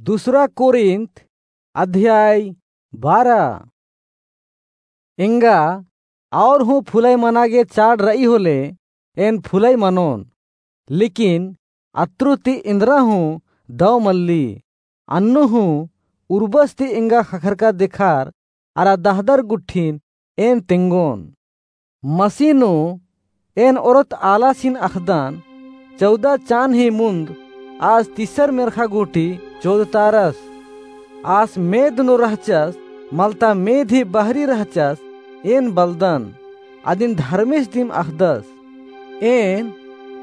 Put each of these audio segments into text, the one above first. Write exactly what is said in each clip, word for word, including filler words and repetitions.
दूसरा कोरिन्थ अध्याय बारह। एंगा और हूँ फुलई मना गे चाड़ रई होले, एन फुलई मनोन, लेकिन अत्रु ती एन्दरा हूँ दव मल्ली। अन्नु हूँ उर्बस ती एंगा ख़क्खरका देखार अरा दहदर गुट्ठिन एन तेंगोन। मसीह नू एन ओरत आलासिन अख़दन, चौदह चान ही मुन्द आस तीसर मेर्ख़ा गूटी चोदतारस। आस मेद नू रहचस, मलता मेद ही बहरी रहचस, एन बलदन, अदिन धर्मेस दिम अख़दस। एन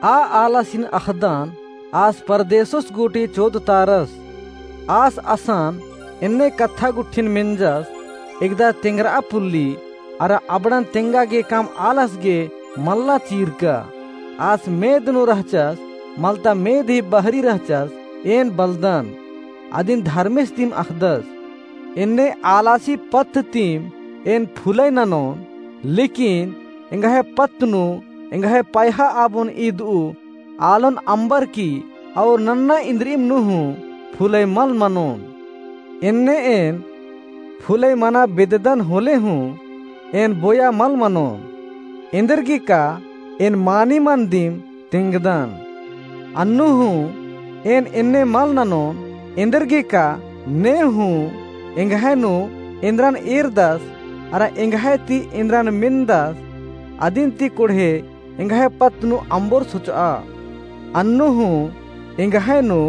आ आलासिन अख़दन, आस परदेसोस गूटी चोदतारस। आस असन एन्ने कत्था गुट्ठिन मेंजस, एकदा तेंगरआ पुल्ली, अरा अबड़न तेंगा गे काम आलस गे मल्ला चीरका। आस मेद नू रहचस, मलता मेद ही बहरी रहचस, एन बलदन, अदिन धर्मेस दिम अख़दस। एन्ने आलासी पत्त तिम एन फुलई ननोन, लेकिन एंग्है पत्त नू एंग्है पैहा आबोन ईदऊ आलोन अम्बर की और नन्ना इन्द्रिइम नू हूँ फुलई मल मनोन। एन्ने एन फुलई मना बेद्ददन होले हूँ एन बोया मल मनोन। एन्देरगे का एन मानिमन दिम तेंगदन। अन्नु हूँ एन एन्ने मल ननोन, एन्देरगे का ने हूँ एंग्है नू एन्द्रन एरदस, अरा एंग्है ती एन्द्रन मेन्दस, अदिन ती कोड़हे एंग्है पत्त नू अम्बोर सोचआ। अन्नु हूँ एंग्है नू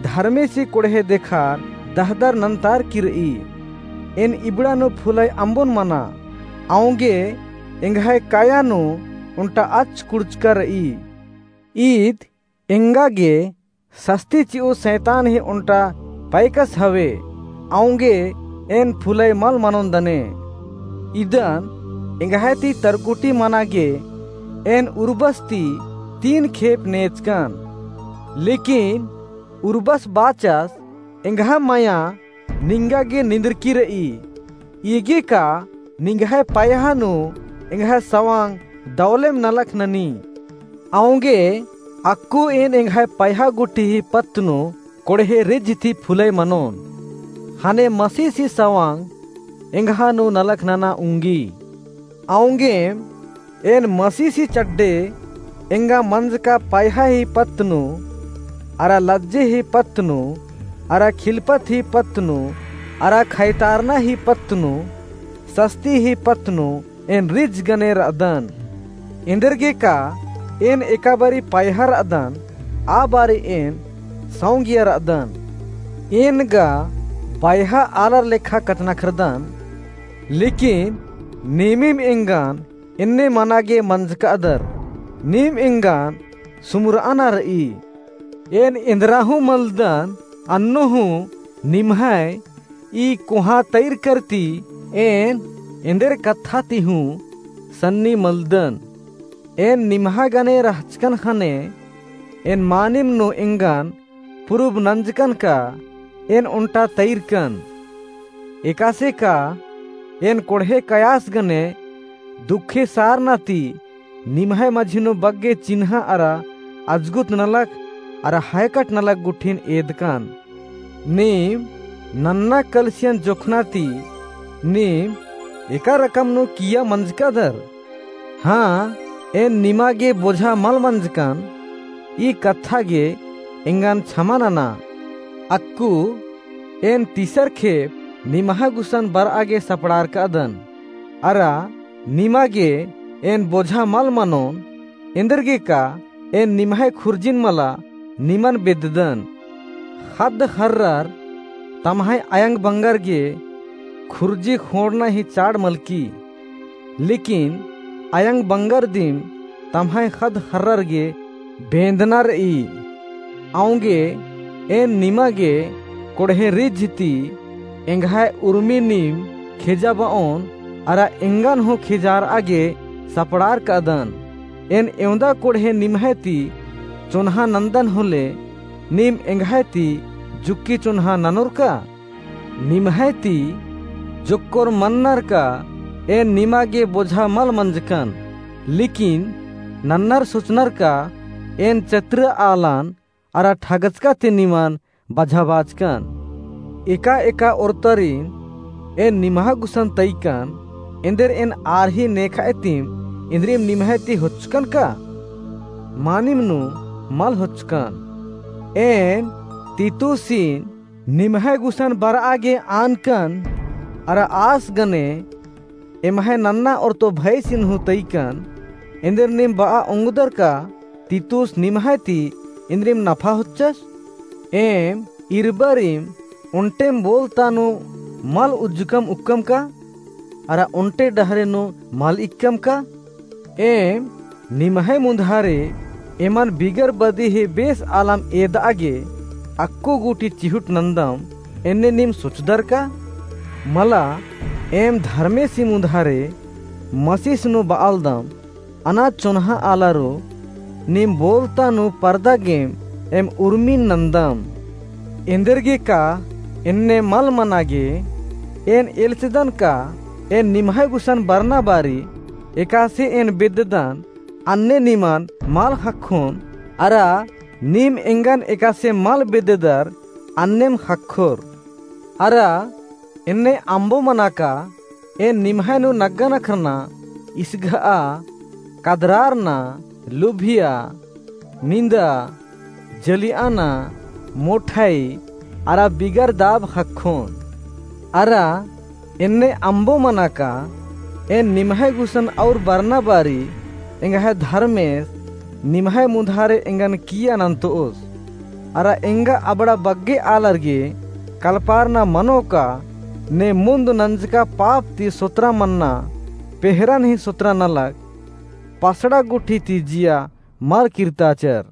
धर्मेसी कोड़हे देखार दहदर नन्तार की रई। एन इबड़ा नू फुलई अम्बोन मना, औंगे एंग्है काया नू ओन्टा अच्च कुड़चका रई। ईद एंगा गे सस्ती चिऊ सैतान ही ओन्टा पैकस हवे, औंगे एन फुलई मल मनोन दने। इदन एंग्है ती तरकुटी मना गे एन उर्बस ती तीन खेप नेचकन। लेकिन उर्बस बाचस, एंग्है मया निंगा गे निंदरकी रई। ईगे का निंग्है पैहा नू एंग्है सवांग दवलेम नलख ननी। औंगे अक्कु एन एंग्है पैहा गुट्ठी ही पत्त नू कोड़हे रिझ ती फुलई मनोन। ख़ने मसीसी सवांग एंग्हा नू नलख नना उंगी। औंगेम एन मसीसी चड्डे एंगा मंजका पैहा ही पत्त नू, अरा लज्जे ही पत्त नू, अरा खिलपत ही पत्त नू, अरा खैतारना ही पत्त नू, सस्ती ही पत्त नू एन रिझ गने रअदन। एन्देरगे का एन एका बारी पैहा रअदन, आ बारी एन सौंगिया रअदन। एन गा बैहा आलर लेखा कछनखरदन, लेकिन नीमिम एंगन एन्ने मना गे मंजकादर, नीम एंगन सुमुरअना रई। एन एन्दरा हूँ मलदन, अन्नु हूँ निम्है ई कोहाँ तैरकर ती एन एन्देर कत्था ती हूँ सन्नी मलदन। एन निम्हा गने रहचकन ख़ने एन मानिम नू एंगन पुरुब नंजकन का एन ओन्टा तैरकन। एकासे का एन कोड़हे कयास गने दुखे सारना ती निम्है मझी नू बग्गे चिन्हा अरा अजगुत नलख अरा हैकट नलख गुट्ठिन एदकन। नीम नन्ना कलसियन जोखना ती नीम एका रकम नू किइय्या मंजकादर। हाँ, एन निमा गे बोझा मल मंजकन, ई कत्था गे एंगन छमा नना। अक्कु एन तीसर खेप निम्हा गुसन बरआ गे सपड़ारकादन। अरा निमा गे एन बोझा मल मनोन, एन्देरगे का एन निम्है खुर्जिन मला निमन बेद्ददन। ख़द्द ख़र्रर तम्है अयंग बंगर गे खुर्जी ख़ोंड़ना ही चाड़ मलकी। लेकिन अयंग बंगर दिम तम्है ख़द्द ख़र्रर गे बेंदना रई। औंगे एन निमा गे कोड़हे रिझ ती एंग्है उर्मी नीम खेजाबओन अरा एंगन हूँ खेजारआ गे सपड़ारकादन। एन एवंदा कोड़हे निम्है ती चोन्हा नन्दन होले, नीम एंग्है ती जुक्की चोन्हा ननोर का? निम्है ती जोक्कोर मन्नर का एन निमा गे बोझा मल मंजकन, लेकिन नन्नर सोचनर का एन चत्र आलन अरा ठगचका ती निमन बझाबाचकन। एका-एका ओर्तारिम एन निम्है गुसन तइकन, एन्देर एन आर ही नेखअय तिम इन्द्रिम निम्है ती होच्चकन का? मानिम नू मल होच्चकन। एन तीतुसिन निम्है गुसन बरआ गे आनकन, अरा आस गने एम्है नन्ना ओर्तो भइसिन हूँ तइकन, एन्देर नीम बआ ओंगदर का तीतुस निम्है ती इन्द्रिम नफा होच्चस? एम इरबारिम ओन्टेम बोलता नू मल उज्जकम उक्कम का? अरा ओन्टे डहरे नू मल इक्कम का? एम निम्है मुन्धारे एमन बिगर बदी ही बेस आलम एदआ गे अक्कु गूटी चिहुट नन्दम, एन्ने नीम सोचदर का? मला एम धर्मेसी मुन्धारे मसीस नू बआलदम, अना चोन्हा आलारो नीम बोलता नू परदा गेम एम उर्मिन नन्दम। एन्देरगे का एन्ने मल मना गे? एन एल्चदन का एन निम्है गुसन बरना बारी एकासे एन बेद्ददन, अन्ने निमन मल ख़क्खोन, अरा नीम एंगन एकासे मल बेद्ददर, अन्नेम ख़क्खोर। अरा एन्ने अम्बो मना का एन निम्है नू नग्गा नखरना, इसघआ, कदरारना, लुभिया, निन्दा, जलिआना, मोठई, अरा बिगर दाब ख़क्खोन। अरा एन्ने अम्बो मना का एन निम्है गुसन और बरना बारी एंग्है धर्मेस निम्है मुन्धारे एंगन किइय्या नन्तोस। अरा एंगा अबड़ा बग्गे आलर गे कलपारना मनो का ने मुन्द नंजका पाप ती सोतरा मन्ना, पेहरन ही सोतरा नलख, पसड़ा गुट्ठी ती जिया मल किर्ताचर।